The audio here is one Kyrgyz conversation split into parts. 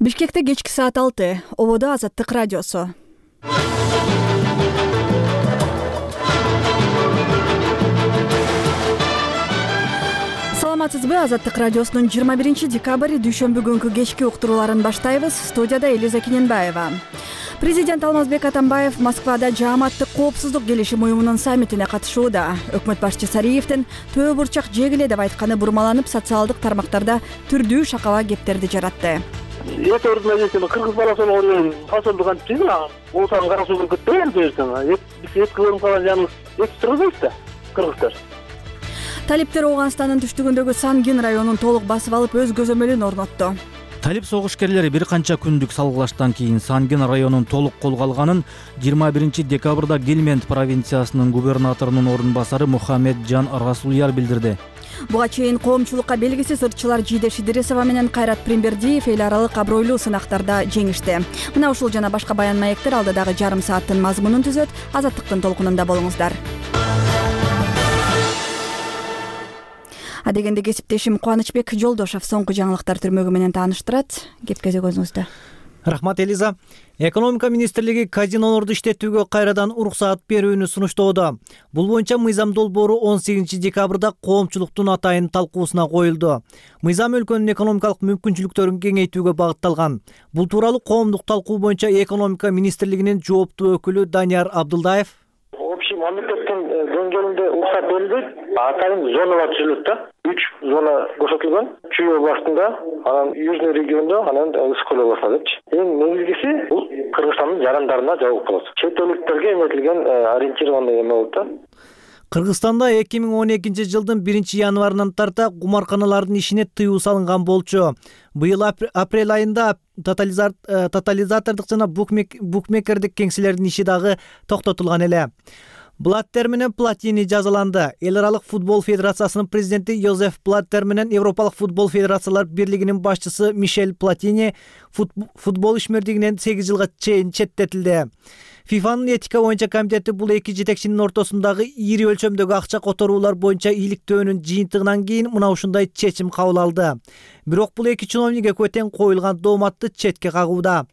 Бишкекте кечки саат 6 ободо Азаттык радиосу. Саламатсызбы? Азаттык радиосунун 21 декабрь дүйшөмбү күнкү кечки уктурууларын баштайбыз. Студияда Элиза Кененбаева. Президент Алмазбек Атамбаев Москвада Жааматтык коопсуздук келишим уюмунун саммитине катышууда. Өкмөт башчы Сариевдин төө бурчак жегиле деп айтканы бурмаланып, социалдык тармактарда түрдүү шакала кептерди жаратты. Эти организации кыргыз баласы болгон фасылдык антыйбы, улуттан кара суу кетпеген жерден. Биз кылым калган жаныбыз турбайбыз да, кыргыздар. Талиптер Ооганстандын түштүгүндөгү Сангин районун толук басып алып, өз көзөмөлүн орнотту. Талип согушкерлери бир канча күндүк салгылаштан кийин Сангин районун толук колго алганын 21 декабрда Гельмент провинциясынын губернаторунун орун басары Мухаммеджан Расулияр билдирди. Буга чейин коомчулукка белгисиз ырчылар Жидеш Идрисова менен Кайрат Примбердиев эл аралык абройлуу сынактарда жеңишти. Мына ушул жана башка баян маектер алдыдагы жарым сааттын мазмунун түзөт. Азаттыктын толкунунда болуңуздар. Адегенде кесиптешим Кубанычбек Жолдошов соңку жаңылыктар түрмөгү менен тааныштырат. Кепке көзүңүздө. Рахмат, Элиза. Экономика министрлиги казинолорду иштетүүгө кайрадан уруксаат берүүнү сунуштоодо. Бул боюнча мыйзам долбоору 18 декабрда коомчулуктун атайын талкуусуна коюлду. Мыйзам өлкөнүн экономикалык мүмкүнчүлүктөрүн кеңейтүүгө багытталган. Бул тууралуу коомдук талкуу боюнча экономика министрлигинин жооптуу өкүлү Данияр Абдылдаев Общий мамлекеттин деңгээлинде уруксат берилбейт, атайын зоналар түзүлөт да. 3 зона көрсөтүлгөн. Чүй областында, анан Южный региондо, анан Ысык-Көл областында депчи. Эң негизгиси бул Кыргызстандын жарандарына жабык болот. Чет элдиктерге эметилген ориентированный эме болот да. Кыргызстанда 2012 жылдын 1 январынан тарта кумарканалардын ишине тыюу салынган болчу. Быйыл апрель айында тотализатордук жана букмекердик кеңселердин иши дагы токтотулган эле. Блаттер менен Платини жазаланды. Эл аралык футбол федерациясынын президенти Йозеф Блаттер менен Европалык футбол федерациялар бирлигинин башчысы Мишель Платини футбол ишмердигинен 8 жылга чейин четтетилди. ФИФАнын этика боюнча комитети бул эки жетекчинин ортосундагы ири өлчөмдөгү акча которуулар боюнча ийгиликтөөнүн жыйынтыгынан кийин мына ушундай чечим кабыл алды. Бирок бул эки чиновник экөө тең коюлган дооматты четке кагууда.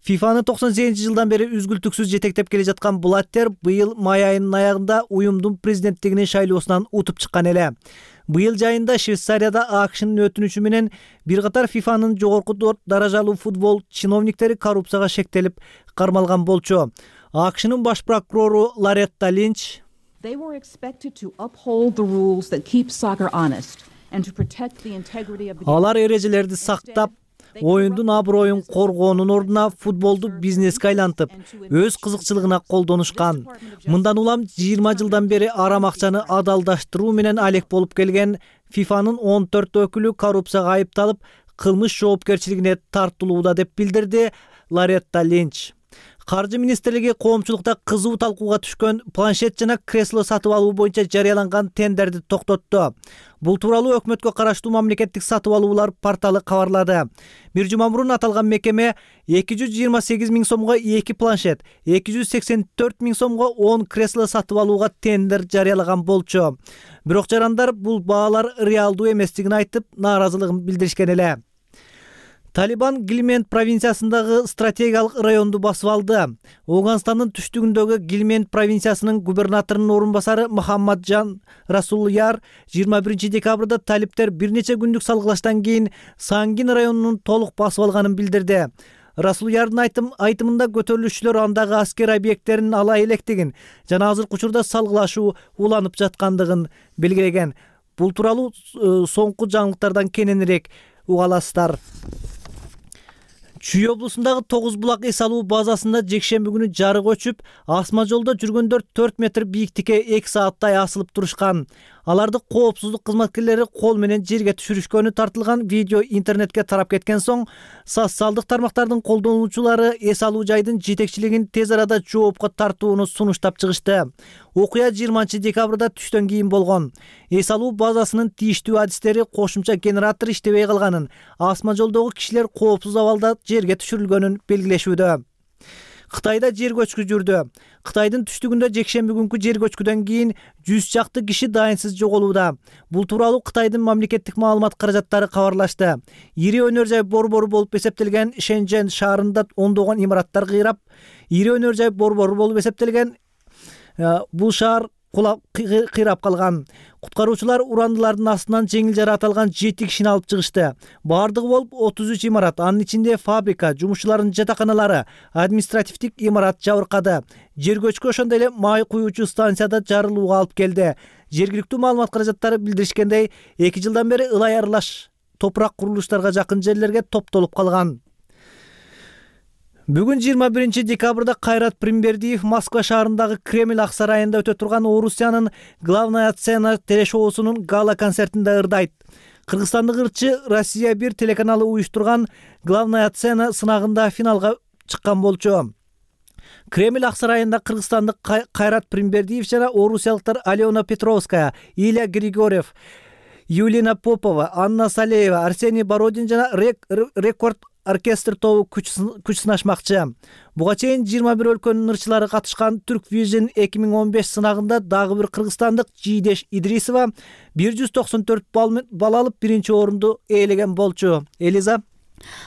ФИФАны 98 жылдан бери үзгүлтүксүз жетектеп келе жаткан Блаттер быйыл май айынын аягында уюмдун президенттигинин шайлоосунан утуп чыккан эле. Быйыл жайында Швейцарияда АКШнын өтүнүчү менен бир катар ФИФАнын жогорку даражалуу футбол чиновниктери коррупцияга шектелип кармалган болчу. АКШнын баш прокурору Лоретта Линч алар эрежелерди сактап, оюндун аброюн коргоонун ордуна футболду бизнеске айлантып, өз кызыкчылыгына колдонушкан. Мындан улам 20 жылдан бери арам акчаны адалдаштыруу менен алек болуп келген ФИФАнын 14 өкүлү коррупцияга айыпталып, кылмыш жоопкерчилигине тартылууда деп билдирди Лоретта Линч. Каржы министрлиги коомчулукта кызуу талкууга түшкөн планшет жана кресло сатып алуу боюнча жарыяланган тендерди токтотту. Бул тууралуу өкмөткө караштуу мамлекеттик сатып алуулар порталы кабарлады. Бир жума мурун аталган мекеме 228 000 сомго 2 планшет, 284 000 сомго 10 кресло сатып алууга тендер жарыялаган болчу. Бирок жарандар бул баалар реалдуу эместигин айтып, нааразылыгын билдиришкен эле. Талибан Гельмент провинциясындагы стратегиялык районду басып алды. Ооганстандын түштүгүндөгү Гельмент провинциясынын губернаторунун орун басары Мухаммеджан Расулияр 21 декабрда талиптер бир нече күндүк салгылаштан кийин Сангин районунун толук басып алганын билдирди. Расулиярдын айтымында көтөрүлүшчүлөр андагы аскер объекттерин ала электигин жана азыркы учурда салгылашуу уланып жаткандыгын белгилеген. Бул тууралуу соңку жаңылыктардан кененирээк уга аласыздар. Чүй облусундагы 9 булак эс алуу базасында жекшемби күнү жарык өчүп, асма жолдо жүргөндөр 4 метр бийиктикке 2 сааттай асылып турушкан. Аларды коопсуздук кызматкерлери кол менен жерге түшүрүшкөнү тартылган видео интернетке тарап кеткен соң, социалдык тармактардын колдонуучулары эс алуу жайдын жетекчилигин тез арада жоопко тартууну сунуштап чыгышты. Окуя 20 декабрда түштөн кийин болгон. Эс алуу базасынын тийиштүү адистери кошумча генератор иштебей калганын, асма жолдогу кишилер коопсуз абалда жерге түшүрүлгөнүн белгилешүүдө. Кытайда жер көчкү жүрдү. Кытайдын түштүгүндө жекшемби күнкү жер көчкүдөн кийин 100 чакты киши дайынсыз жоголууда. Бул тууралуу Кытайдын мамлекеттик маалымат каражаттары кабарлашты. Ири өнөр жай борбору болуп эсептелген Шэньчжэнь шаарында ондогон имараттар кыйрап, ири өнөр жай борбору болуп эсептелген бул шаар кыйрап калган. Куткаруучулар урандылардын астынан жеңил жаратылган 7 кишини алып чыгышты. Бардыгы болуп 33 имарат, анын ичинде фабрика, жумушчулардын жатаканалары, административдик имарат жабыркады. Жер көчкү ошондой эле май куюучу станцияда жарылууга алып келди. Жергиликтүү маалымат каражаттары билдиришкендей, 2 жылдан бери ылай аралаш топурак курулуштарга жакын жерлерге топтолуп калган. Бүгүн 21 декабрда Кайрат Примбердиев Москва шаарындагы Кремль ак сарайында өтө турган Орусиянын главная сцена телешоусунун гала концертинде ырдайт. Кыргызстандык ырчы Россия 1 телеканалы уюштурган главная сцена сынагында финалга чыккан болчу. Кремль ак сарайында кыргызстандык Кайрат Примбердиев жана орусиялыктар Алена Петровская, Илья Григорьев, Юлина Попова, Анна Салеева, Арсений Бородин жана Рекорд оркестр тобу күч сынашмакчы. Буга чейин 21 өлкөнүн ырчылары катышкан Türk Vision 2015 сынагында дагы бир кыргызстандык Жийдеш Идрисова 194 балл алып биринчи орунду ээлеген болчу. Элиза.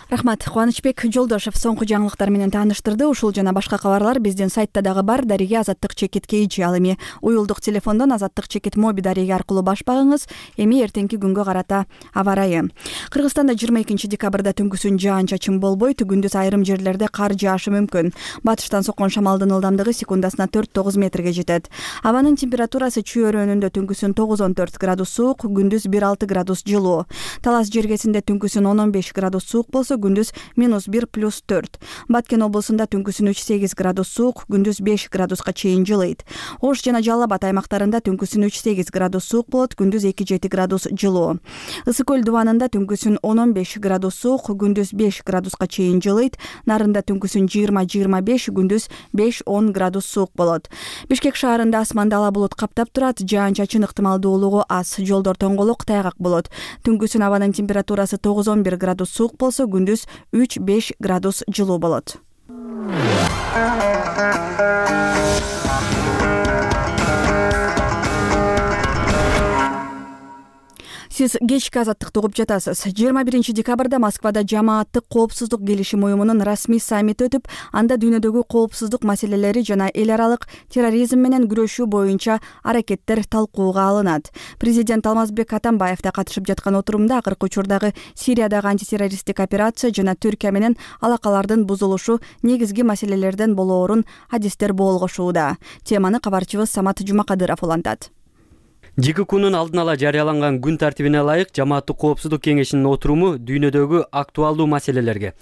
Рахмат. Кубанычбек Жолдошев соңку жаңылыктар менен тааныштырды. Ушул жана башка кабарлар биздин сайтта дагы бар. Дареге Азаттык чекит KG. Ал эми уюлдук телефондон Азаттык чекит моби дареге аркылуу баш багыңыз. Эми эртеңки күнгө карата аба ырайы. Кыргызстанда 22 декабрда түнкүсүн жаан-чачын болбойт, күндүз айрым жерлерде кар жаашы мүмкүн. Батыштан соккон шамалдын ылдамдыгы секундасына 4-9 метрге жетет. Абанын температурасы Чүй өрөөнүндө түнкүсүн 9-14 градус суук, күндүз 1-6 градус жылуу. Талас жергесинде түнкүсүн 10-15 градус суук болсо, күндүз -1+4. Баткен облусунда түнкүсүн 3-8 градус суук, күндүз 5 градуска чейин жылыйт. Ош жана Жалал Абад аймактарында түнкүсүн 3-8 градус суук болот, күндүз 2-7 градус жылуу. Ысык көл дубанында түнкүсүн 10-15 градус суук, күндүз 5 градуска чейин жылыйт. Нарында түнкүсүн 20-25, күндүз 5-10 градус суук болот. Бишкек шаарында асманды ала булут каптап турат, жаан-чачын ыктымалдуулугу аз, жолдор тоңголук, тайгак болот. Түнкүсүн абанын температурасы 9-11 градус суук болсо, күндүз 3-5 градус жылуу болот. Сиз кечки азаттыкты угуп жатасыз. 21 декабрда Москвада жамааттык коопсуздук келишим уюмунун расмий саммити өтүп, анда дүйнөдөгү коопсуздук маселелери жана эл аралык терроризм менен күрөшүү боюнча аракеттер талкууга алынат. Президент Алмазбек Атамбаев да катышып жаткан отурумда акыркы учурдагы Сириядагы антитеррористтик операция жана Түркия менен алакалардын бузулушу негизги маселелерден болоорун адистер болгошууда. Теманы кабарчыбыз Самат Жумакадыров улантат. ЖККнун алдын ала жарыяланган күн тартибине ылайык жамааттык коопсуздук кеңешинин отуруму дүйнөдөгү актуалдуу маселелерге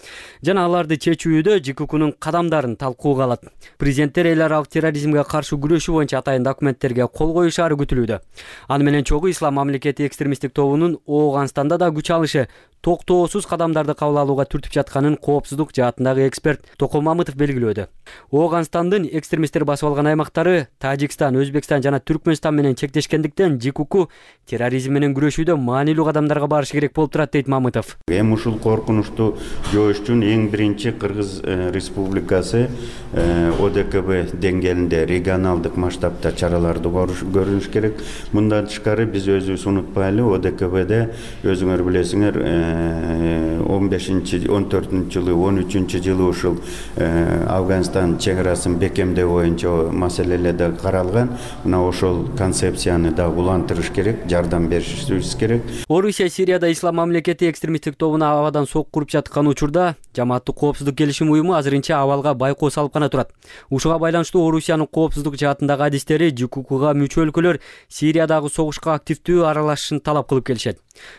жана аларды чечүүдө ЖККнун кадамдарын талкууга алат. Президенттер эл аралык терроризмге каршы күрөшүү боюнча атайын документтерге кол коюшаары күтүлүүдө. Аны менен чогуу ислам мамлекети экстремисттик тобунун Ооганстанда да күч алышы, токтоосуз кадамдарды кабыл алууга түртүп жатканын коопсуздук жаатындагы эксперт Токол Мамытов белгилөөдө. Ооганстандын экстремисттер басып алган аймактары Тажикстан, Өзбекстан жана Түркмөнстан менен чектешкендиктен ЖКК терроризм менен күрөшүүдө маанилүү кадамдарга барышы керек болуп турат дейт Мамытов. Эми ушул коркунучту жоош үчүн эң биринчи Кыргыз Республикасы ОДКБ деңгээлинде регионалдык масштабта чараларды көрүш керек. Мындан тышкары биз өзүбүз унутпайлы, ОДКБде өзүңөр билесиңер 15-14 жылы, 13 жылы ушул Афганистан чегарасын бекемдөө боюнча маселелерде каралган. Мына ошол концепцияны да улантырыш керек, жардам беришибиз керек. Орусия Сирияда ислам мамлекети экстремисттик тобуна абадан сок куруп жаткан учурда жамааттык коопсуздук келишим уюму азырынча абалга байкоо салып гана турат. Ушуга байланыштуу Орусиянын коопсуздук жаатындагы адистери ЖККга мүчө өлкөлөр Сириядагы согушка активдүү аралашышын талап кылып келишет.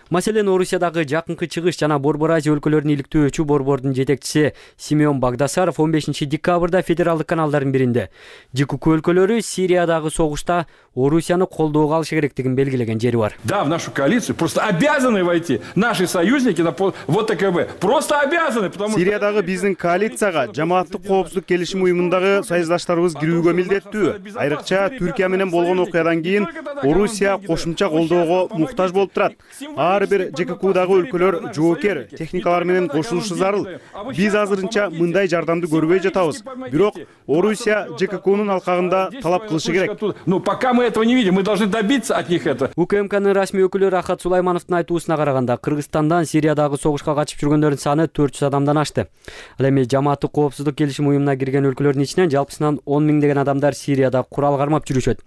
Маселен, Орусиядагы Жакынкы Чыгыш жана Борбор Азия өлкөлөрүн иликтөөчү борбордун жетекчиси Симеон Багдасаров 15 декабрда федералдык каналдардын биринде ЖКК өлкөлөрү Сириядагы согушта Орусияны колдоого алышы керектигин белгилеген жери бар. Да, в нашу коалицию просто обязаны войти наши союзники на ОДКБ. Просто обязаны, потому Сириядагы биздин коалицияга жамааттык коопсуздук келишим уюмундагы союздаштарыбыз кирүүгө милдеттүү. Айрыкча Түркия менен болгон окуядан кийин Орусия кошумча колдоого муктаж болуп турат. Ар бир ЖККдагы өлкөлөр жоокер техникалар менен кошулушу зарыл. Биз азырынча мындай жардамды көрбөй жатабыз. Бирок Орусия ЖККнын алкагында талап кылышы керек. Ну, пока мы этого не видим, мы должны добиться от них этого. УКМКнын расмий өкүлү Рахат Сулаймановдун айтуусуна караганда, Кыргызстандан Сириядагы согушка катышып жүргөндөрдүн саны 400 адамдан ашты. Ал эми жамааттык коопсуздук келишим уюмуна кирген өлкөлөрдүн ичинен жалпысынан 10 миңдеген адамдар Сирияда курал кармап жүрүшөт.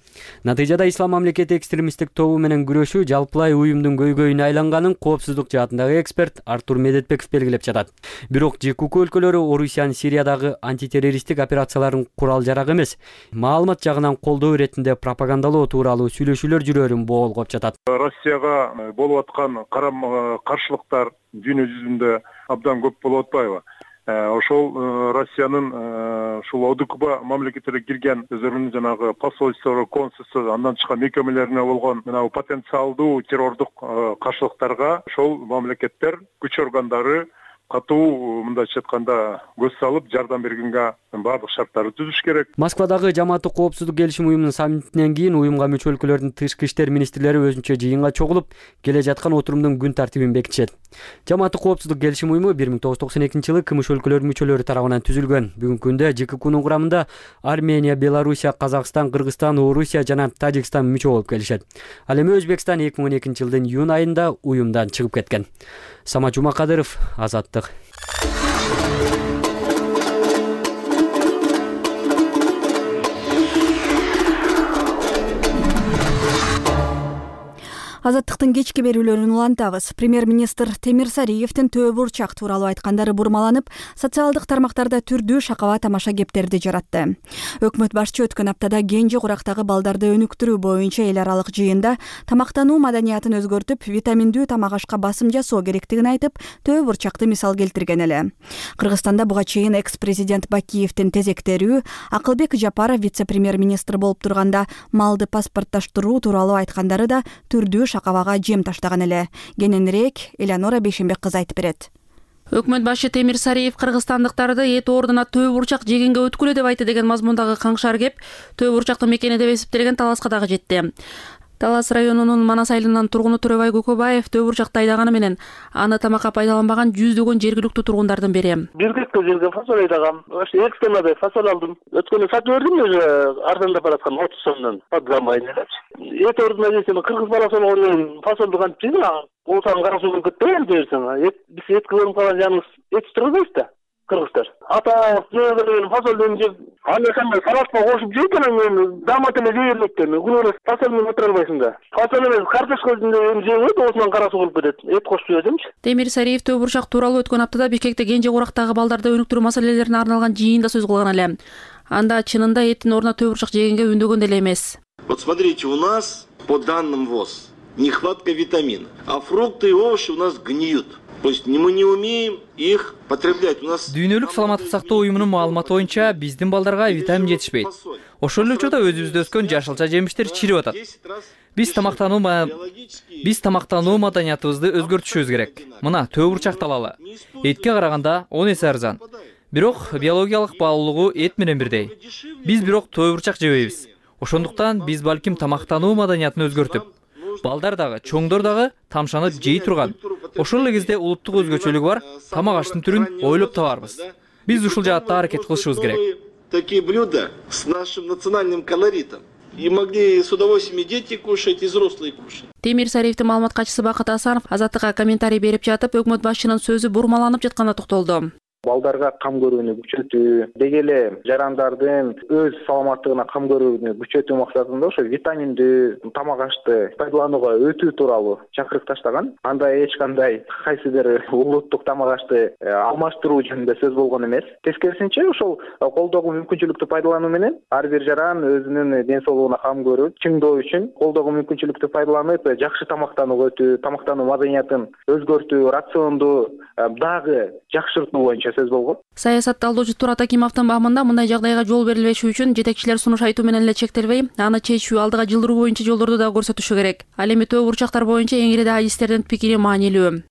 Натыйжада Ислам мамлекети экстремисттик тобу менен күрөшүү жалпылай уюмдун көйгөйүнө айланганын коопсуздук жаатындагы эксперт Артур Медетбеков белгилеп жатат. Бирок ЖКК өлкөлөрү Орусиянын Сириядагы антитеррористтик операцияларын курал жарак эмес, маалымат жагынан колдоо иретинде пропагандалоо тууралуу сүйлөшүүлөр жүрөөрүн боолгоп жатат. Россияга болуп аткан каршылыктар дүйнө жүзүндө абдан көп болуп атпайбы? Ошол Россиянын ушул ОДКБ мамлекеттерге кирген өздөрүнүн жанагы посольство, консулство, андан чыккан мекемелерине болгон мына потенциалдуу террордук каршылыктарга ошол мамлекеттер күч органдары катуу мындайча айтканда көз салып жардам бергенге баардык шарттарды түзүш керек. Москвадагы жамааттык коопсуздук келишим уюмунун саммитинен кийин уюмга мүчө өлкөлөрдүн тышкы иштер министрлери өзүнчө жыйынга чогулуп, келе жаткан отурумдун күн тартибин бекитишет. Жамааттык коопсуздук келишим уюму 1992-жылы КМШ өлкөлөрүнүн мүчөлөрү тарабынан түзүлгөн. Бүгүнкү күндө ЖККнын курамында Армения, Белоруссия, Казакстан, Кыргызстан, Орусия жана Тажикстан мүчө болуп келишет. Ал эми Өзбекстан 2012-жылдын июнь айында уюмдан чыгып кеткен. Самат Жумакадыров, Азаттык. Азаттыктын кечки берүүлөрүн улантабыз. Премьер-министр Темир Сариевдин Төө бурчак тууралуу айткандары бурмаланып, социалдык тармактарда түрдүү шакаба тамаша кептерди жаратты. Өкмөт башчы өткөн аптада Кенже Курактагы балдарды өнүктүрүү боюнча эл аралык жыйында тамактануу маданиятын өзгөртүп, витаминдүү тамак ашка басым жасоо керектигин айтып, Төө бурчакты мисал келтирген эле. Кыргызстанда буга чейин экс-президент Бакиевдин тезектерүү, Акылбек Жапаров вице-премьер-министр болуп турганда малды паспортташтыруу тууралуу айткандары да түрдүү шакабага жем таштаган эле. Кененирээк Элеонора Бейшембек кызы айтып берет. Өкмөт башчы Темир Сариев кыргызстандыктарды эт ордуна Төө бурчак жегенге өткүлө деп айтты деген мазмундагы каңшар кеп, Төө бурчактын мекени деп эсептелген Таласка дагы жетти. Талас районунун Манас айылынын тургуну Төрөбай Көкөбаев Төө бурчакты айдаганы менен аны тамакка пайдаланбаган жүздөгөн жергиликтүү тургундардын бири. Бир гектар жерге фасоль айдагам. Ошо 2 тоннадай фасоль алдым. Өткөндө сатып бердим, өзү арзандап бараткан 30 сомдон. Подгамайны. Эт ордуна жесем кыргыз баласы болгон фасолду кантип жейм? Олсан кара суу кетпейм десең. Биз этке көрүнүп калган жаныбыз эт турбайбыз да. Кыргыздар. Ата жеген фасолдун жеп, аны кандай салатка кошуп жейт, анан дамат эле жейбейт да. Күнөөлөс фасоль менен отура албайсың да. Фасоль эмес, картошка жейбейт, осунан кара суу болуп кетет. Эт кошуп жесемчи. Темир Сариев Төө бурчак тууралуу өткөн аптада Бишкекте Кенже Курактагы балдарды өнүктүрүү маселелерине арналган жыйында сөз кылган эле. Анда чынында эттин ордуна Төө бурчак жегенге үндөгөн деле эмес. Вот смотрите, у нас по данным ВОЗ нехватка витамина, а фрукты и овощи у нас гниют. То есть мы не умеем их потреблять. У нас Дүйнөлүк саламаттык сактоо уюмунун маалыматы боюнча биздин балдарга витамин жетишпейт. Ошол эле учурда өзүбүздө өскөн жашылча жемиштер чирип атат. Биз тамактануу маданиятыбызды өзгөртүшүбүз керек. Мына Төө бурчакты алалы. Этке караганда 10 эсе арзан. Бирок биологиялык баалуулугу эт менен бирдей. Биз бирок Төө бурчак жебейбиз. Ошондуктан биз балким тамактануу маданиятын өзгөртүп, балдар дагы, чоңдор дагы тамшанып жей турган. Ошол эле кезде улуттук өзгөчөлүгү бар тамак аштын түрүн ойлоп табарбыз. Биз ушул жаатта аракет кылышыбыз керек. Такие блюда с нашим национальным колоритом. И могли с удовольствием и дети кушать, и взрослые кушать. Темир Сариевдин маалымат катчысы Бакыт Асанов Азаттыкка комментарий берип жатып, өкмөт башчынын сөзү бурмаланып жатканына токтолду. Балдарга кам көрүүнү күчөтүү, деги эле жарандардын өз саламаттыгына кам көрүүнү күчөтүү максатында ошо витаминдүү тамак ашты пайдаланууга өтүү тууралуу чакырык таштаган. Анда эч кандай кайсыдыр улуттук тамак ашты алмаштыруу жөнүндө сөз болгон эмес. Тескерисинче ошол колдогу мүмкүнчүлүктү пайдалануу менен ар бир жаран өзүнүн ден соолугуна кам көрүп, чыңдоо үчүн колдогу мүмкүнчүлүктү пайдаланып, жакшы тамактанууга өтүү, тамактануу маданиятын өзгөртүү, рационду дагы жакшыртуу боюнча сөз болгон. Саясат талдоочу Турат Акимовдун баамында мындай жагдайга жол берилбеши үчүн жетекчилер сунуш айтуу менен эле чектелбей, аны чечүү, алдыга жылдыруу боюнча жолдорду да көрсөтүшү керек. Ал эми Төө бурчактар боюнча эң эле да адистердин пикири маанилүү.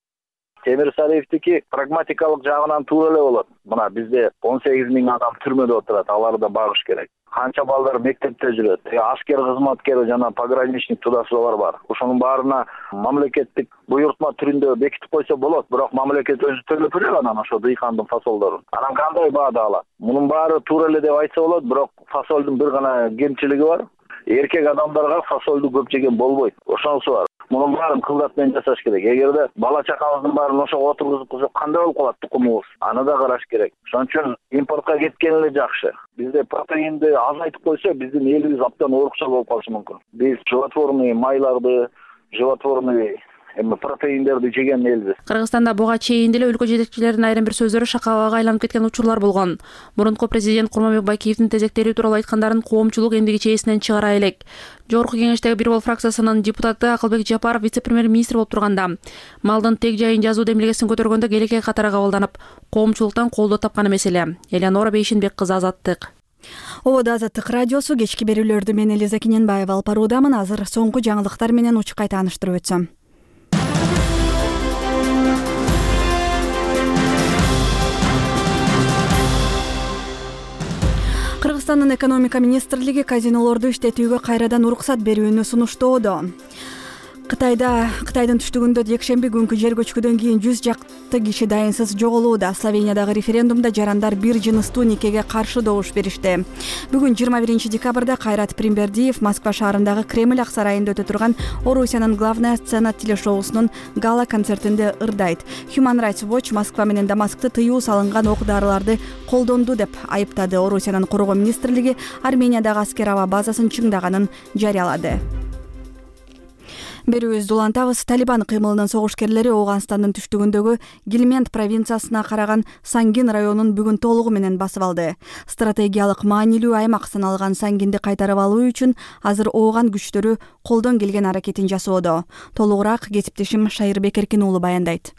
Темир Сариевдики прагматикалык жагынан туура эле болот. Мына бизде 18 000 адам түрмөдө отурат, аларды багыш керек. Канча балдар мектепте жүрөт. Аскер кызматкери жана пограничник тудасылар бар. Ошонун баарына мамлекеттик буйрутма түрүндө бекитип койсо болот, бирок мамлекет өзү төлөп берет анан ошо дыйкандын фасолдорун. Анан кандай баада алат? Мунун баары туура эле деп айтса болот, бирок фасолдун бир гана кемчилиги бар. Эркек адамдарга фасолду көп жеген болбойт. Ошонусу бар. Мунун баарын кылдат менен жасаш керек. Эгерде бала чакабыздын баарын ошого отургузуп койсок кандай болуп калат тукумубуз? Аны да караш керек. Ошон үчүн импортко кеткен эле жакшы. Бизде протеинди азайтып койсо, биздин элибиз абдан орукча болуп калышы мүмкүн. Биз животворный майларды, животворный протеиндерди жеген элбиз. Кыргызстанда буга чейин деле өлкө жетекчилеринин айрым бир сөздөрү шакалага айланып кеткен учурлар болгон. Мурунку президент Курманбек Байкеевдин тезектери тууралуу айткандарын коомчулук эмдиги чейесинен чыгара элек. Жогорку кеңештеги Бир Бол фракциясынын депутаты Акылбек Жапаров вице-премьер-министр болуп турганда малдын тег жайын жазуу демилгесин көтөргөндө келекей катары кабылданып, коомчулуктан колдоо тапкан маселе. Элеонора Бейшенбек кызы, Азаттык. Ободо Азаттык радиосу кечки берүүлөрдү мен Элиза Кененбаева алып баруудамын. Азыр соңку жаңылыктар менен учукай тааныштырып өтсөм. Кыргызстандын экономика министрлиги казинолорду иштетүүгө кайрадан уруксат берүүнү сунуштоодо. Кытайдын түштүгүндө жекшемби күнкү жер көчкүдөн кийин 100 жакты киши дайынсыз жоголууда. Словениядагы референдумда жарандар бир жыныстуу никеге каршы добуш беришти. Бүгүн 21 декабрда Кайрат Примбердиев Москва шаарындагы Кремль ак сарайында өтө турган Орусиянын главная сцена телешоусунун гала концертинде ырдайт. Human Rights Watch Москва менен Дамаскты тыюу салынган ок-дарыларды колдонду деп айыптады. Орусиянын коргоо министрлиги Армениядагы аскер аба базасын чыңдаганын жарыялады. Берүүбүздү улантабыз. Талибан кыймылынын согушкерлери Ооганстандын түштүгүндөгү Гильмент провинциясына караган Сангин районун бүгүн толугу менен басып алды. Стратегиялык маанилүү аймак саналган Сангинди кайтарып алуу үчүн азыр Ооган күчтөрү колдон келген аракетин жасоодо. Толугураак кесиптешим Шайырбек Эркин уулу баяндайт.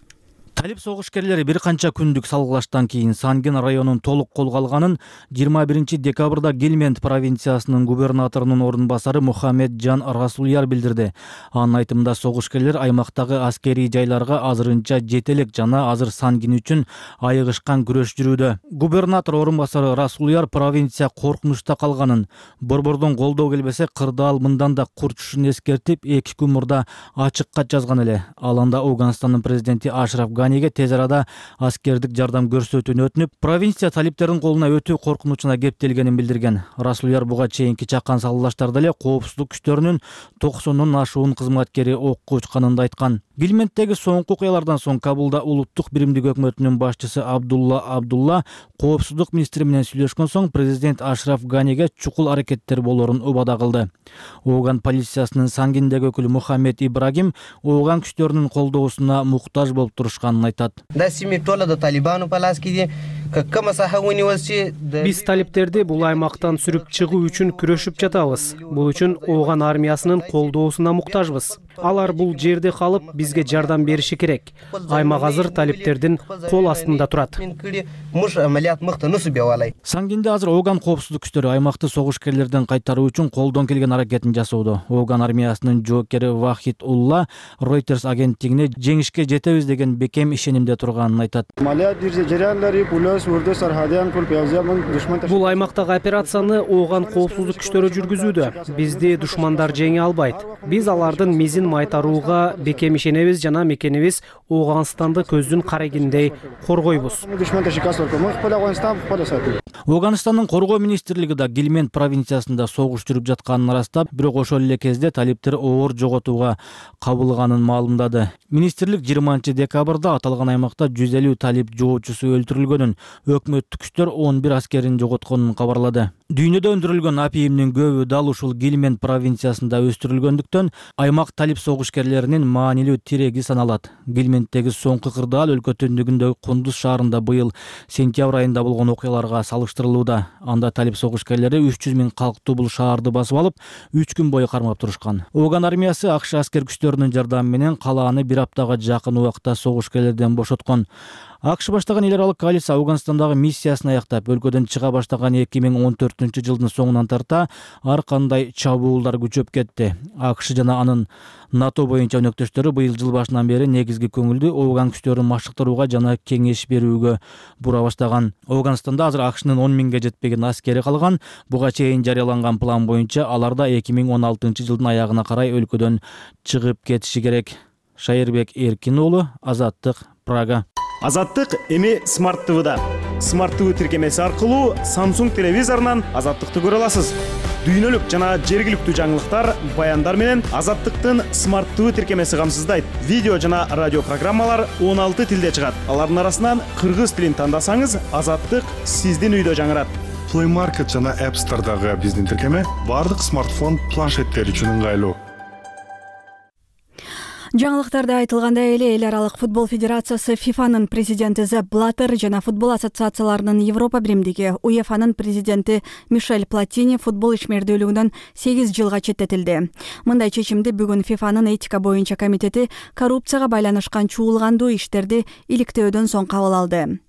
Талип согушкерлери бир канча күндүк салгылаштан кийин Сангин районун толук колго алганын 21 декабрда Гильмент провинциясынын губернаторунун орун басары Мухаммед Жан Расулияр билдирди. Анын айтымында согушкерлер аймактагы аскерий жайларга азырынча жете элек жана азыр Сангин үчүн айыгышкан күрөш жүрүүдө. Губернатор орун басары Расулияр провинция коркунучта калганын, борбордон колдоо келбесе кырдаал мындан да курчушун эскертип 2 күн мурда ачык кат жазган эле. Ал анда Ооганстандын президенти Ашраф Ганиге тез арада аскердик жардам көрсөтүүнү өтүнүп, провинция талиптердин колуна өтүү коркунучуна кептелгенин билдирген. Расулияр буга чейинки чакан салгылаштарда эле коопсуздук күчтөрүнүн 90 ашуун кызматкери окко учканын да айткан. Гильменттеги соңку окуялардан соң Кабулда улуттук биримдик өкмөтүнүн башчысы Абдулла коопсуздук министри менен сүйлөшкөн соң президент Ашраф Ганиге чукул аракеттер болорун убада кылды. Ооган полициясынын Сангиндеги өкүлү Мухаммед Ибрагим Ооган күчтөрүнүн колдоосуна муктаж болуп турушканын айтат. Биз талиптерди бул аймактан сүрүп чыгуу үчүн күрөшүп жатабыз. Бул үчүн Ооган армиясынын колдоосуна муктажбыз. Алар бул жерде калып бизге жардам бериши керек. Аймак азыр талиптердин кол астында турат. Сангинде азыр Ооган коопсуздук күчтөрү аймакты согушкерлерден кайтаруу үчүн колдон келген аракетин жасоодо. Ооган армиясынын жоокери Вахид Улла Reuters агенттигине жеңишке жетебиз деген бекем ишенимде турганын айтат. Бул аймактагы операцияны Ооган коопсуздук күчтөрү жүргүзүүдө. Бизди душмандар жеңе албайт. Биз алардын мизин майтарууга бекем ишенебиз жана мекенибиз Ооганстанды көздүн карегиндей коргойбуз. Ооганстандын коргоо министрлиги да Гильмент провинциясында согуш жүрүп жатканын ырастап, бирок ошол эле кезде талиптер оор жоготууга кабылганын маалымдады. Министрлик 20 декабрда аталган аймакта 150 талип жоочусу өлтүрүлгөнүн, өкмөттүк күчтөр 11 аскерин жоготконун кабарлады. Дүйнөдө өндүрүлгөн апийимдин көбү дал ушул Гильмент провинциясында өстүрүлгөндүктөн аймак талип согушкерлеринин маанилүү тиреги саналат. Гильменттеги соңку кырдаал өлкө түндүгүндөгү Кундуз шаарында быйыл сентябрь айында болгон окуяларга салыштырылууда. Анда талип согушкерлери 300 000 калктуу бул шаарды басып алып, 3 күн бою кармап турушкан. Ооган армиясы АКШ аскер күчтөрүнүн жардамы менен калааны бир аптага жакын убакта согушкерлерден бошоткон. АКШ баштаган эл аралык коалиция Афганстандагы миссиясын аяктап, өлкөдөн чыга баштаган 2014-жылдын соңунан тарта ар кандай чабуулдар күчөп кетти. АКШ жана анын НАТО боюнча өнөктөштөрү быйыл жыл башынан бери негизги көңүлдү Афган күчтөрүн машыктырууга жана кеңеш берүүгө бура баштаган. Афганстанда азыр АКШнын 10 миңге жетпеген аскери калган. Буга чейин жарыяланган план боюнча алар да 2016-жылдын аягына карай өлкөдөн чыгып кетиши керек. Шайырбек Эркин уулу, Азаттык, Прага. Азаттык эми Smart TV'да. Smart TV тиркемеси аркылуу Samsung телевизорунан Азаттыкты көрө аласыз. Дүйнөлүк жана жергиликтүү жаңылыктар, баяндар менен Азаттыктын Smart TV тиркемеси камсыздайт. Видео жана радио программалар 16 тилде чыгат. Алардын арасынан кыргыз тилин тандасаңыз, Азаттык сиздин үйдө жаңырат. Play Market жана App Store'дагы биздин тиркеме бардык смартфон, планшеттер үчүн ыңгайлуу. Жаңылыктарда айтылгандай эле эл аралык футбол федерациясы ФИФАнын президенти Зепп Блаттер жана футбол ассоциацияларынын Европа биримдиги УЕФАнын президенти Мишель Платини футбол ишмердүүлүгүнөн 8 жылга четтетилди. Мындай чечимди бүгүн ФИФАнын этика боюнча комитети коррупцияга байланышкан чуулгандуу иштерди иликтөөдөн соң кабыл алды.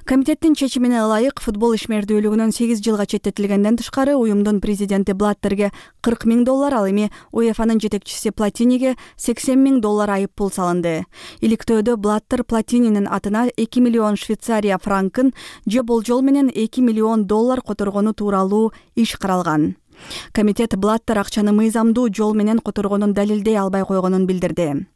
Комитеттин чечимине ылайык футбол ишмердүүлүгүнөн 8 жылга четтетилгенден тышкары уюмдун президенти Блаттерге $40 000, ал эми УЕФАнын жетекчиси Платиниге $80 000 айып пул салынды. Иликтөөдө Блаттер Платининин атына 2 миллион Швейцария франкын же болжол менен $2 миллион которгону тууралуу иш каралган. Комитет Блаттер акчаны мыйзамдуу жол менен которгонун далилдей албай койгонун билдирди.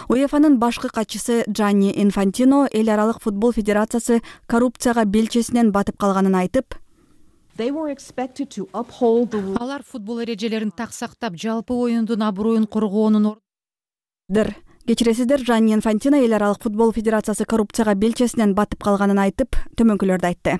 УЕФАнын башкы катчысы Джанни Инфантино эл аралык футбол федерациясы коррупцияга белчесинен батып калганын айтып, алар футбол эрежелерин так сактап, жалпы оюндун аброюн коргоонун Кечиресиздер, Джанни Инфантино эл аралык футбол федерациясы коррупцияга белчесинен батып калганын айтып, төмөнкүлөрдү айтты.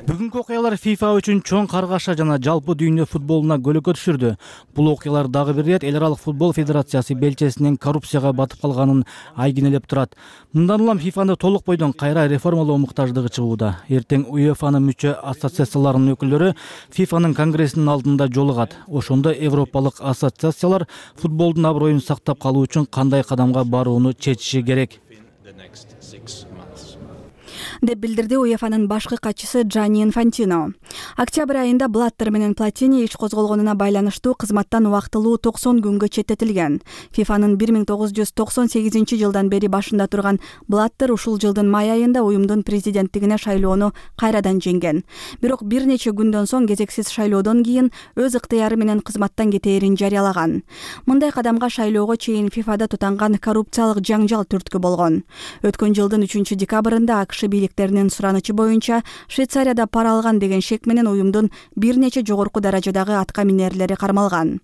Бүгүнкү окуялар FIFA үчүн чоң каргаша жана жалпы дүйнө футболуна көлөкө түшүрдү. Бул окуялар дагы бир ирет эл аралык футбол федерациясы белчесинен коррупцияга батып калганын айгинелеп турат. Мындан улам FIFA-ны толук бойдон кайра реформалоо муктаждыгы чыгууда. Эртең УЕФАнын мүчө ассоциацияларынын өкүлдөрү FIFA-нын конгрессинин алдында жолугат. Ошондо европалык ассоциациялар футболдун аброюн сактап калуу үчүн кандай кадамга барууну чечиши керек деп билдирди УЕФАнын башкы катчысы Джанни Инфантино. Октябрь айында Блаттер менен Платини иш козголгонуна байланыштуу кызматтан убактылуу 90 күнгө четтетилген. ФИФАнын 1998 жылдан бери башында турган Блаттер ушул жылдын май айында уюмдун президенттигине шайлоону кайрадан жеңген. Бирок бир нече күндөн соң кезексиз шайлоодон кийин өз ыктыяры менен кызматтан кетээрин жарыялаган. Мындай кадамга шайлоого чейин ФИФАда тутанган коррупциялык жаңжал түрткү болгон. Өткөн жылдын 3 декабрында АКШ бийликтеринин суранычы боюнча Швейцарияда пара алган деген шек менен уюмдун бир нече жогорку даражадагы атка минерлери кармалган.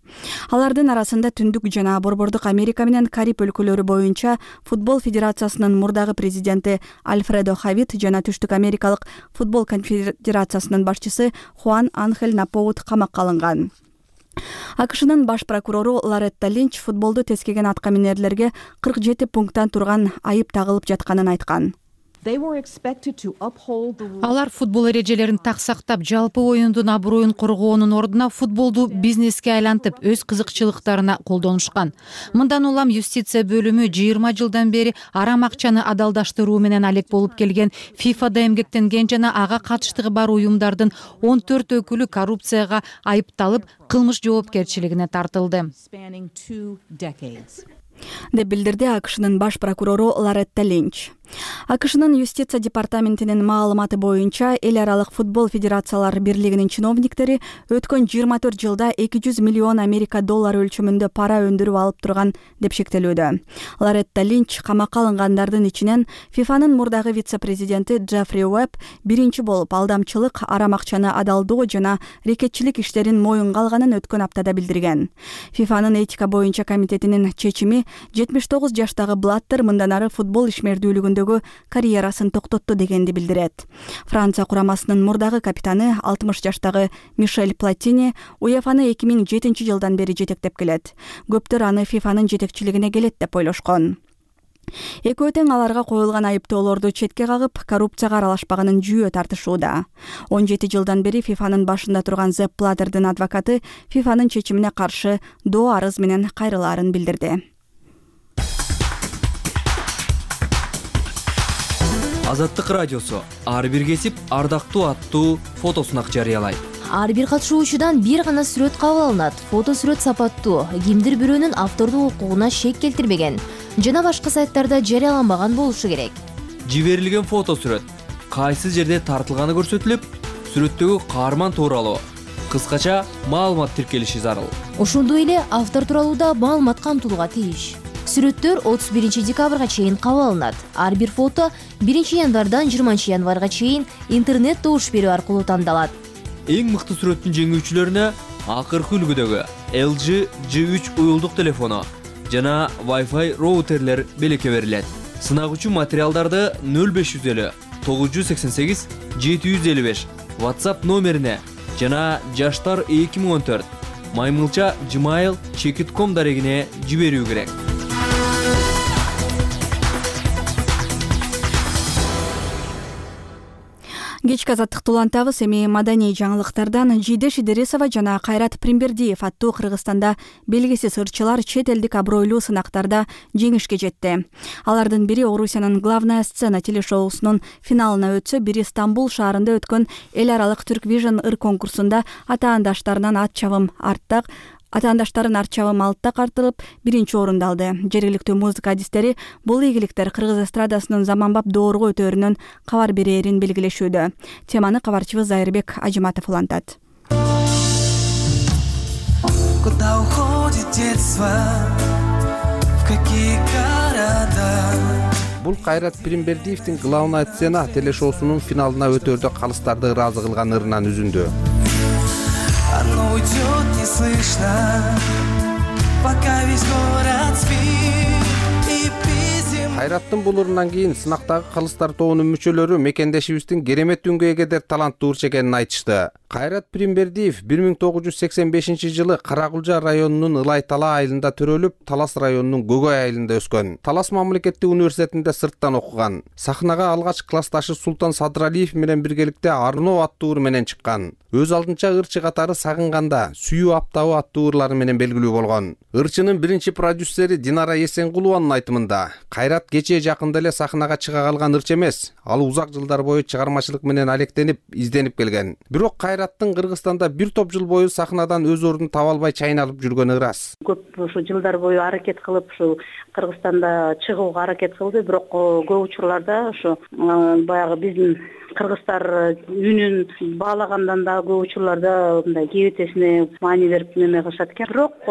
Алардын арасында Түндүк жана Борбордук Америка менен Кариб өлкөлөрү боюнча футбол федерациясынын мурдагы президенти Альфредо Хавит жана Түштүк Америкалык футбол конфедерациясынын башчысы Хуан Анхель Напоут камакка алынган. АКШнын баш прокурору Лоретта Линч футболду тескеген атка минерлерге 47 пункттан турган айып тагылып жатканын айткан. Алар футбол эрежелерин так сактап, жалпы оюндун аброюн коргоонун ордуна футболду бизнеске айлантып, өз кызыкчылыктарына колдонушкан. Мындан улам юстиция бөлүмү 20 жылдан бери арам акчаны адалдаштыруу менен алек болуп келген ФИФАда эмгектенген жана ага катыштыгы бар уюмдардын 14 өкүлү коррупцияга айыпталып, кылмыш жоопкерчилигине тартылды деп билдирди АКШнын баш прокурору Лоретта Линч. АКШнын юстиция департаментинин маалыматы боюнча эл аралык футбол федерациялар бирлигинин чиновниктери өткөн 24 жылда 200 миллион Америка доллары өлчөмүндө пара өндүрүп алып турган деп шектелүүдө. Лоретта Линч камакка алынгандардын ичинен ФИФАнын мурдагы вице-президенти Джеффри Уэбб биринчи болуп алдамчылык, арам акчаны адалдоо жана рекетчилик иштерин моюнга алганын өткөн аптада билдирген. ФИФАнын этика боюнча комитетинин чечими 79 жаштагы Блаттер мындан ары футбол ишмердүүлүгүндө карьерасын токтотту дегенди билдирет. Франция курамасынын мурдагы капитаны 60 жаштагы Мишель Платини УЕФАны 2007 жылдан бери жетектеп келет. Көптөр аны ФИФАнын жетекчилигине келет деп ойлошкон. Экөө тең аларга коюлган айыптоолорду четке кагып, коррупцияга аралашпаганын жүйө тартышууда. 17 жылдан бери ФИФАнын башында турган Зепп Блаттердин адвокаты ФИФАнын чечимине каршы доо арыз менен кайрылаарын билдирди. Азаттык радиосу ар бир кесип ардактуу аттуу фото сунак жарыялайт. Ар бир катышуучудан бир гана сүрөт кабыл алынат. Фото сүрөт сапаттуу, кимдир бирөөнүн автордук укугуна шек келтирбеген жана башка сайттарда жарыяланбаган болушу керек. Жиберилген фото сүрөт кайсы жерде тартылганы көрсөтүлүп, сүрөттөгү каарман тууралуу кыскача маалымат тиркелиши зарыл. Ошондой эле автор тууралуу да маалымат камтылууга тийиш. Сүрөттөр 31 декабрга чейин кабыл алынат. Ар бир фото 1 январдан 20 январга чейин интернет добуш берүү аркылуу тандалат. Эң мыкты сүрөттүн жеңүүчүлөрүнө акыркы үлгүдөгү LG G3 уюлдук телефону жана Wi-Fi роутерлер белекке берилет. Сынак үчүн материалдарды 0550 988 755 WhatsApp номерине жана жаштар 2014 maymilcha@gmail.com дарегине жиберүү керек. Кечки азаттыкты улантабыз. Эми маданий жаңылыктардан Жидеш Идирисова жана Кайрат Примбердиев аттуу Кыргызстанда белгисиз ырчылар чет элдик абройлуу сынактарда жеңишке жетти. Алардын бири Орусиянын главная сцена телешоусунун финалына өтсө, бири Стамбул шаарында өткөн эл аралык Turk Vision ыр конкурсунда атаандаштарын арт чабым алтта картылып, биринчи орунду алды. Жергиликтүү музыка адистери бул ийгиликтер кыргыз эстрадасынын заманбап доорго өтөөрүнөн кабар берээрин белгилешүүдө. Теманы кабарчыбыз Зайырбек Ажиматов улантат. Куда уходит детство, в какие города? Бул Кайрат Примбердиевдин главная сцена телешоусунун финалына өтөөрдө калыстарды ыраазы кылган ырынан үзүндү. Оно уйдет неслышно, пока весь город спит и безим. Кайраттын бул ырынан кийин сынактагы калыстар тобунун мүчөлөрү мекендешибиздин керемет үнгө эгедер таланттуу ырчы экенин айтышты. Кайрат Примбердиев 1985 Каракулжа районунун Ылай Тала айылында төрөлүп, Талас районунун Көгөй айылында өскөн. Талас мамлекеттик университетинде сырттан окуган. Сахнага алгач классташы Султан Садыралиев менен биргеликте Арноо аттуу ыр менен чыккан. Өз алдынча ырчы катары Сагынганда, Сүйүү аптабы аттуу ырлары менен белгилүү болгон. Ырчынын биринчи продюсери Динара Эсенгулованын айтымында, Кайрат кечээ жакында эле сахнага чыга калган ырчы эмес, ал узак жылдар бою чыгармачылык менен алектенип, изденип келген. Бирок Кайраттын Кыргызстанда бир топ жыл бою сахнадан өз ордун таба албай чайналып жүргөнү ырас. Көп ушу жылдар бою аракет кылып, ушу Кыргызстанда чыгууга аракет кылды, бирок көп учурларда ушу баягы биздин кыргыздар үнүн баалагандан да көп учурларда мындай кебетесине маани берип неме кылышат экен. Бирок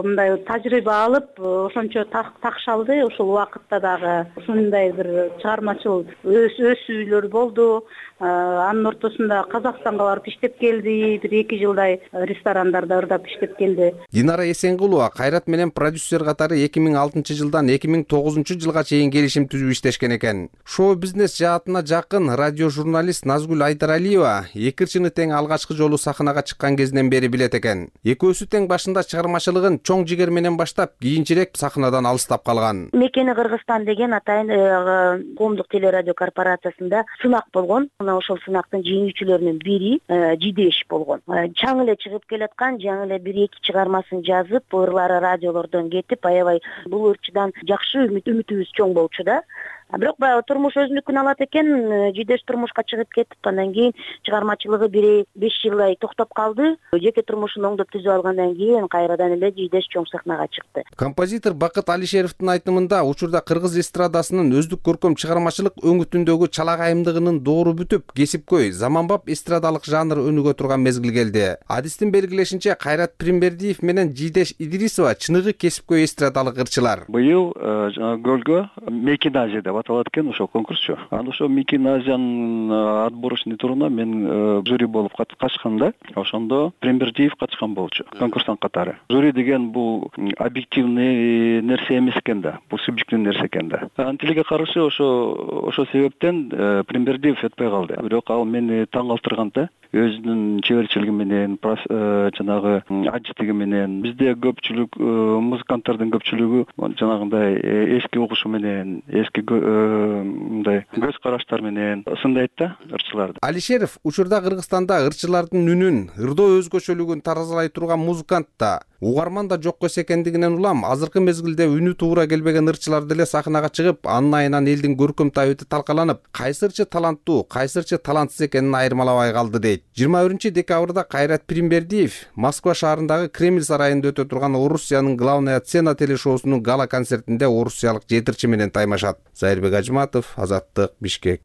мындай тажрыйба алып, ошончо такшалды. Ушул убакытта дагы ушундай бир чыгармачыл өсүүлөр болду. Анын ортосунда Казакстанга барып иштеп келди. Бир 2 жылдай ресторандарда ырдап иштеп келди. Динара Эсенгулова Кайрат менен продюсер катары 2006 жылдан 2009 жылга чейин келишим түзүп иштешкен экен. Шоу-бизнес жаатына жакын радио журналист Назгүл Айдаралиева эки ырчыны тең алгачкы жолу сахнага чыккан кезинен бери билет экен. Экөөсү тең башында чыгармачылыгын чоң жигер менен баштап, кийинчерээк сахнадан алыстап калган. Мекени Кыргызстан деген атайын коомдук телерадио корпорациясында сынак болгон. Ошол сынактын жеңүүчүлөрүнүн бири Жидеш болгон. Чаң эле чыгып келаткан, жаңы эле 1-2 чыгармасын жазып, ырлары радиолордон кетип, аябай бул ырчыдан жакшы үмүтүбүз чоң болчу да. Бирок баягы турмуш өзүнүкүн алат экен. Жидеш турмушка чыгып кетип, андан кийин чыгармачылыгы 5 жылдай токтоп калды. Жеке турмушун оңдоп түзүп алгандан кийин кайрадан эле Жидеш чоң сахнага чыкты. Композитор Бакыт Алишеровдун айтымында, учурда кыргыз эстрадасынын өздүк көркөм чыгармачылык өңүтүндөгү чалакайымдыгынын доору бүтүп, кесипкөй, заманбап эстрадалык жанр өнүгө турган мезгил келди. Адистин белгилешинче, Кайрат Примбердиев менен Жидеш Идирисова чыныгы кесипкөй эстрадалык ырчылар. Быйыл гөлгө Мекиназия деп аталат экен ошол конкурсчу. Анда ошо Мекиназиянын отборочный туруна мен жюри болуп катышканда, ошондо Примбердиев катышкан болчу конкурстан катары. Жюри деген бул объективный нерсе эмес экен да, бул субъективный нерсе экен да. Антилиге каршы ошо себептен Примбердиев өтпөй калды. Бирок ал мени таң калтырган да. Өзүнүн чеберчилиги менен, жанагы ажыттыгы менен, бизде көпчүлүк музыканттардын көпчүлүгү жанагындай эски угушу менен, эски мындай көз караштар менен сындайт да ырчыларды. Алишеров учурда Кыргызстанда ырчылардын үнүн, ырдоо өзгөчөлүгүн таразалай турган музыкант да. угарман да жок эс экендигинен улам азыркы мезгилде үнү туура келбеген ырчылар деле сахнага чыгып, анын айынан элдин көркөм табити талкаланып, кайсы ырчы таланттуу, кайсы ырчы талантсыз экенин айырмалабай калды дейт. 21 декабрда Кайрат Пиримбердиев Москва шаарындагы Кремль сарайында өтө турган Орусиянын главная сцена телешоусунун гала концертинде орусиялык жетирчи менен таймашат. Зайырбек Ажматов, Азаттык, Бишкек.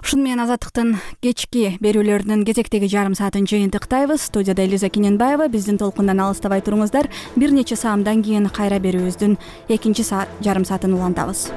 Ушуну менен Азаттыктын кечки берүүлөрүнүн кезектеги жарым саатын жыйынтыктайбыз. Студияда Элиза Кененбаева. Биздин толкундан алыстабай туруңуздар. Бир нече саамдан кийин кайра берүүбүздүн экинчи жарым саатын улантабыз.